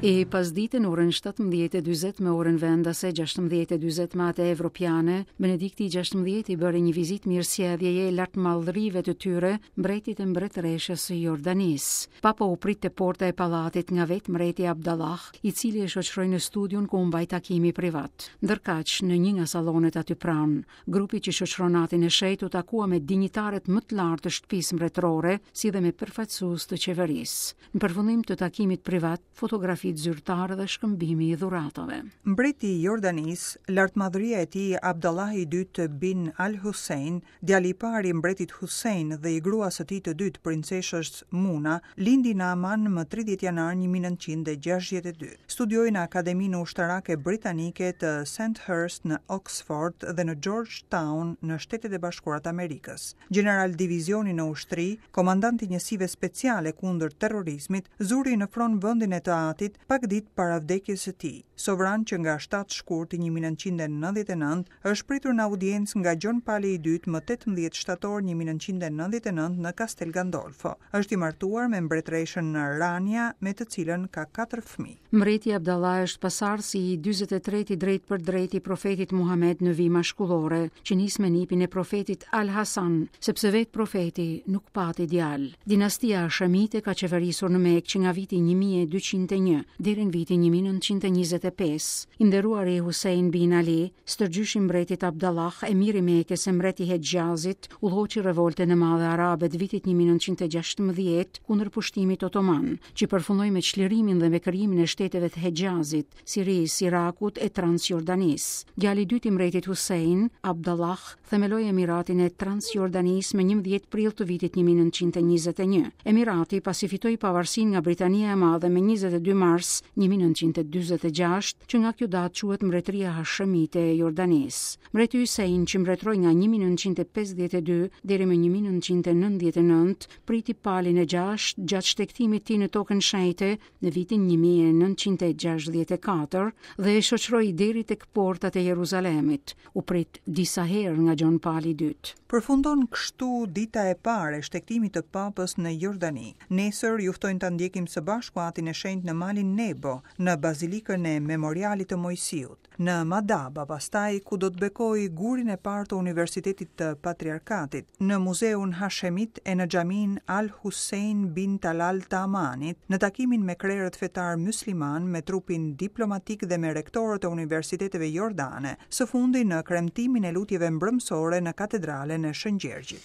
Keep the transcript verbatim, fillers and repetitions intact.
E pasdite në orën shtatëmbëdhjetë e dyzet me orën vendase, gjashtëmbëdhjetë e dyzet me atë evropiane, Benedikti i gjashtëmbëdhjetë i bëri një vizitë mirësjelljeje lartmadhërive të tyre, mbretit e mbretëreshës së Jordanisë. Papa u prit te porta e pallatit nga vetë mbreti Abdallah, i cili e shoqëroi në studion ku u mbaj takimi privat. Ndërkaq, në një nga sallonet aty pranë, grupi që shoqëron atin e shenjtë u takua me dinjitarët më të lartë të shtëpisë mbretërore, si dhe me përfaqësues të qeverisë. Në përfundim të takimit privat, fotografitë zyrtare dhe shkëmbimi i dhuratave. Mbreti i Jordanisë, lartmadhëria e tij Abdallah i dytë bin Al-Hussein, djali i parë i mbretit Hussein dhe i gruas së tij të dytë, princeshës Muna, lindi në Aman më tridhjetë janar një mijë e nëntëqind e gjashtëdhjetë e dy. Studioi në Akademinë Ushtarake Britanike të Sandhurst në Oxford dhe në Georgetown në Shtetet e Bashkuara të Amerikës. Gjeneral divizioni në ushtri, komandant i njësive speciale kundër terrorizmit, zuri në fron vendin e të atit pak ditë para vdekjes së tij. Sovran që nga shtatë shkurti një mijë e nëntëqind e nëntëdhjetë e nëntë është pritur në audiencë nga Gjon Pali i dytë më tetëmbëdhjetë shtator një mijë e nëntëqind e nëntëdhjetë e nëntë në Castel Gandolfo. Është i martuar me mbretëreshën Rania, me të cilën ka katër fëmijë. Mbreti Abdallah është pasardhësi i dyzet e tretë i drejt për drejt i profetit Muhamed në vijë mashkullore, që nis me nipin e profetit Al Hasan, sepse vetë profeti nuk pati djalë. Dinastia Hashemite ka qeverisur në Mekë që nga viti një mijë e dyqind e një deri në vitin një mijë e nëntëqind e njëzet e pesë. I nderuari Hussein bin Ali, stërgjyshi mbretit Abdallah, emiri i Mekës e mbreti Hexhazit, udhëhoqi revoltën e madhe arabe të vitit një mijë e nëntëqind e gjashtëmbëdhjetë kundër pushtimit otoman, që përfundoi me çlirimin dhe me krijimin e shteteve të Hexhazit, Sirisë, Irakut e Transjordanisë. Djali i dytë i mbretit Hussein, Abdallah, themeloi Emiratin e Transjordanisë më njëmbëdhjetë prill të vitit një mijë e nëntëqind e njëzet e një. Emirati pasi fitoi pavarësinë nga Britania e Madhe më njëzet e dy mars një mijë e nëntëqind e dyzet e gjashtë, që nga kjo datë quhet Mbretëria Hashemite e Jordanisë. Mbreti Hussein, që mbretëroi nga një mijë e nëntëqind e pesëdhjetë e dy deri më një mijë e nëntëqind e nëntëdhjetë e nëntë, priti palin e gjashtë gjatë shtegtimit tij në tokën shenjte në vitin një mijë e nëntëqind e gjashtëdhjetë e katër dhe e shoqëroi deri tek portat e Jeruzalemit. U prit disa herë nga Gjon Pali i dytë. Përfundon kështu dita e parë e shtegtimit të papës në Jordani. Nesër ju ftojnë ta ndjekim së bashku atin e shenjtë në malin Nebo, në bazilikën e memorialit të Mojsiut, në Madaba, pastaj ku do të bekojë gurin e parë të Universitetit të Patriarkatit, në Muzeun Hashemit e në xhamin Al Hussein bin Talal të Amanit, në takimin me krerët fetar musliman, me trupin diplomatik dhe me rektorët e universiteteve jordane, së fundi në kremtimin e lutjeve mbrëmsore në katedralen e Shën Gjergjit.